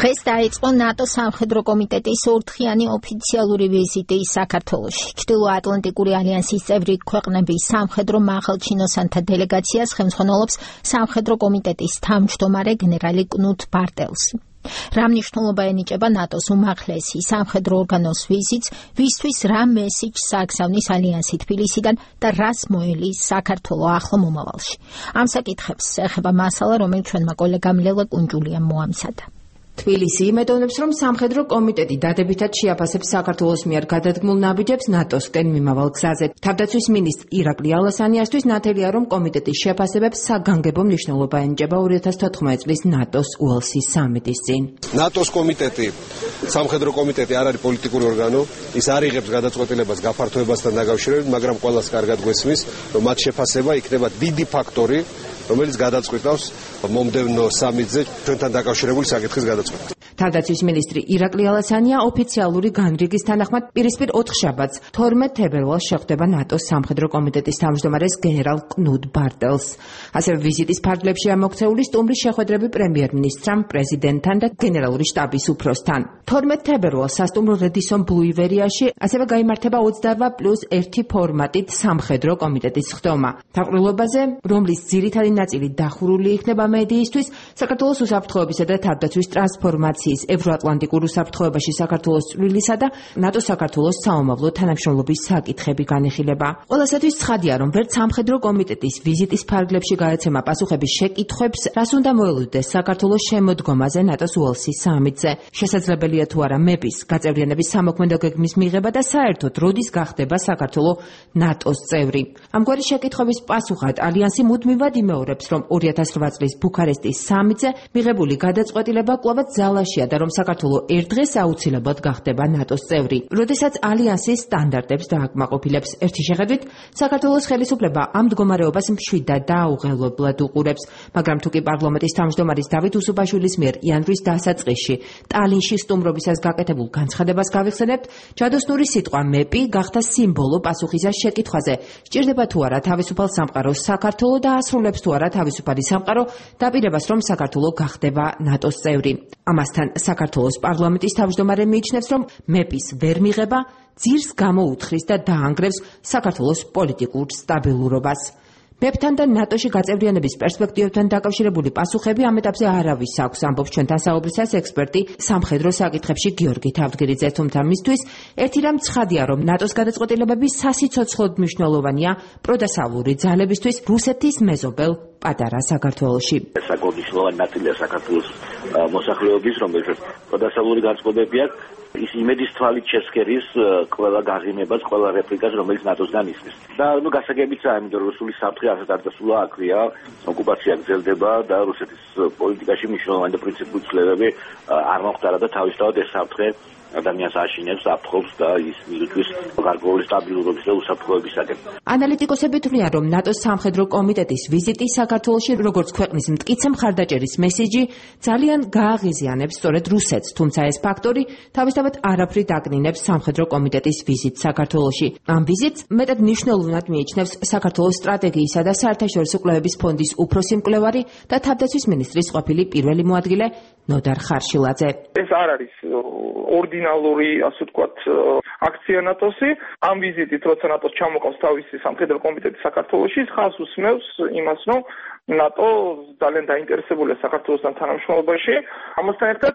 დღეს დაიწყო ნატოს სამხედრო კომიტეტის ორდღიანი ოფიციალური ვიზიტი საქართველოში. ჩრდილო-ატლანტიკური ალიანსის წევრი ქვეყნების სამხედრო მაღალჩინოსანთა დელეგაციას ხელმძღვანელობს სამხედრო კომიტეტის თავმჯდომარე გენერალი კნუთ ბარტელსი. რა მნიშვნელობა ენიჭება ნატოს უმაღლესი სამხედრო ორგანოს ვიზიტს, ვისთვის რა მესიჯს აგზავნის ალიანსი თბილისიდან და რას მოელის საქართველო ახლო მომავალში. ამ საკითხებს ეხება მასალა, რომელიც ჩვენმა კოლეგამ ლელა კუნჯულიამ მოამზადა. თბილისი იმედოვნებს, რომ სამხედრო კომიტეტი დადებითად შეაფასებს საქართველოს მიერ გადადგმულ ნაბიჯებს ნატოსკენ მიმავალ გზაზე. თავდაცვის მინისტრ ირაკლი ალასანიასთვის ნათელია, რომ კომიტეტის შეფასებებს საგანგებო მნიშვნელობა ენიჭება 2014 წლის ნატოს უელსის სამიტის წინ. ნატოს კომიტეტი, სამხედრო კომიტეტი არ არის პოლიტიკური ორგანო, ის არ იღებს გადაწყვეტილებას გაფართოებასთან დაკავშირებით, მაგრამ ყველას კარგად გვესმის, რომ მათ შეფასება იქნება დიდი ფაქტორი, რომელიც გადაწყვეტავს მომდევნო სამიტზე ჩვენთან დაკავშირებული საკითხის გადაწყვეტას. თავდაცვის მინისტრი ირაკლი ალასანია ოფიციალური განრიგის თანახმად პირისპირ 4 შაბათს 12 თებერვალს შეხვდება ნატოს სამხედრო კომიტეტის თავმჯდომარეს გენერალ კნუთ ბარტელს. ასევე ვიზიტის ფარგლებში ამოქცეული სტუმრის შეხვედრები პრემიერ-მინისტრთან, პრეზიდენტთან და გენერალური შტაბის უფროსთან. 12 თებერვალს სასტუმრო რედისონ ბლუ ივერიაში ასევე გაიმართება 28+1 ფორმატით სამხედრო კომიტეტის ხდომა. თავყრილობაზე, რომლის ძირითადი ნაწილი დახურული იქნება მედიისთვის, საქართველოს უსაფრთხოებისა და თავდაცვის ტრანსფორმაციის ევროატლანტიკურ უსაფრთხოებაში საქართველოს წვლილისა და ნატო-საქართველოს საომავლო თანამშრომლობის საკითხები განიხილება. ყველასათვის ცხადია, რომ ვერც სამხედრო კომიტეტის ვიზიტის ფარგლებში გაეცემა პასუხების შეკითხვებს, რას უნდა მოელოდეს საქართველოს შემოდგომაზე ნატოს უელსის სამიტზე. შესაძლებელია თუ არა მეპის გაწევრიანების სამოქმედო გეგმის მიღება და საერთოდ როდის გახდება საქართველო ნატოს წევრი. ამგვარი შეკითხვების პასუხად ალიანსი მუდმივად იმეორებს, რომ 2008 წლის ბუქარესტის სამიტზე მიღებული გადაწყვეტილება კვლავაც ძალაშია და რომ საქართველო ერთ დღეს აუცილებლად გახდება ნატოს წევრი. როდესაც ალიანსის სტანდარტებს დააკმაყოფილებს. ერთი შეხედვით, საქართველოს ხელისუფლება ამ მდგომარეობას მშვიდად და აუღელებლად უყურებს, მაგრამ თუ კი პარლამენტის თავმჯდომარის დავით უსუბაშვილის მიერ იანვრის დასაწყისში ტალინში სტუმრობისას გაკეთებულ განცხადებას გავიხსენებთ, ჯადოსნური სიტყვა მეპი გახდა სიმბოლო პასუხისას შეკითხვაზე, სჭირდება თუ არა თავისუფალ სამყაროს საქართველო და ასრულებს თუ არა თავისუფალი სამყარო დაპირებას, რომ საქართველო გახდება ნატოს წევრი. ამასთან საქართველოს პარლამენტის თავმჯდომარე მიიჩნევს, რომ მეპის ვერ მიღება ძირს გამოუთხრის და დაანგრევს საქართველოს პოლიტიკურ სტაბილურობას. მეპთან და ნატოში გაწევრიანების პერსპექტივებთან დაკავშირებული პასუხები ამ ეტაპზე არავის აქვს, ამბობს ჩვენთან საუბრისას ექსპერტი სამხედრო საკითხებში გიორგი თავდგერიძე, თუმცა მისთვის ერთი რამ ცხადია, რომ ნატოს გადაწყვეტილებები სასიცოცხლოდ მნიშვნელოვანია პროდასავლური ძალებისთვის რუსეთის მეზობელ პატარა საქართველოში. საკმაოდ მნიშვნელოვანი ნაწილია საქართველოს მოსახლეობის, რომელსაც პროდასავლური განწყობები აქვს. ის იმედის თვალით შესქერის ყველა გაღიმებას, ყველა რეპლიკას, რომელიც ნატოსგან ისმის. და გასაგებიცაა, იმიტომ რომ რუსული საფრთხე ასეთ არ დასულა, აქვეა, ოკუპაცია გრძელდება და რუსეთის პოლიტიკაში მნიშვნელოვანი და პრინციპული ცვლილებები არ მოხდარა და თავისთავად ეს საფრთხე ადამიანს აშინებს, აფრთხობს და ის მისთვის გარკვეული სტაბილურობის და უსაფრთხოებისაკენ. ანალიტიკოსები თვლიან, რომ ნატოს სამხედრო კომიტეტის ვიზიტი საქართველოში როგორც ქვეყნის მტკიცე მხარდაჭერის მესიჯი ძალიან გააღიზიანებს სწორედ რუსეთს, თუმცა ეს ფაქტორი თავისთავად არაფრით აკნინებს სამხედრო კომიტეტის ვიზიტს საქართველოში. ამ ვიზიტს მეტად მნიშვნელოვნად მიიჩნევს საქართველოს სტრატეგიისა და საერთაშორისო კვლევების ფონდის უფროსი მკვლევარი და თავდაცვის მინისტრის ყოფილი პირველი მოადგილე ნოდარ ხარშილაძე. ეს არ არის ორდინალური, ასე ვთქვათ, აქცია ნატოსი. ამ ვიზიტით, როცა ნატოს ჩამოყავს თავისი სამხედრო კომიტეტი საქართველოში, ხაზს უსმევს იმას, რომ ნატო ძალიან დაინტერესებულია საქართველოსთან თანამშრომლობაში. ამასთან ერთად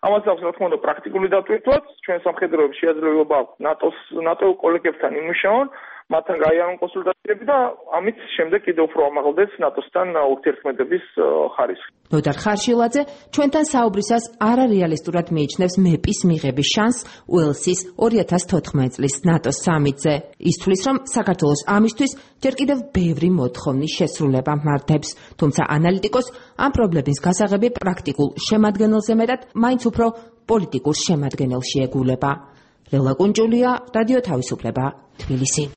ამას აქვს, რა თქმა უნდა, პრაქტიკული დატვირთვაც. ჩვენ სამხედროებს შეაძლებლობა აქვს ნატო კოლეგებთან იმუშაონ, მათთან გაიარონ კონსულტაციები და ამით შემდეგ კიდევ უფრო ამაღლდეს ნატოსთან ურთიერთქმედების ხარისხი. ნოდარ ხარშილაძე ჩვენთან საუბრისას არარეალისტურად მიიჩნევს მეპის მიღების შანსს უელსის 2014 წლის ნატოს სამიტზე. ის თვლის, რომ საქართველოს ამისთვის ჯერ კიდევ ბევრი მოთხოვნის შესრულება მართებს, თუმცა ანალიტიკოს ამ პრობლემის გასაღები პრაქტიკულ შემადგენელზე მეტად მაინც უფრო პოლიტიკურ შემადგენელში ეგულება. ლელა კუნჯულია, რადიო თავისუფლება, თბილისი.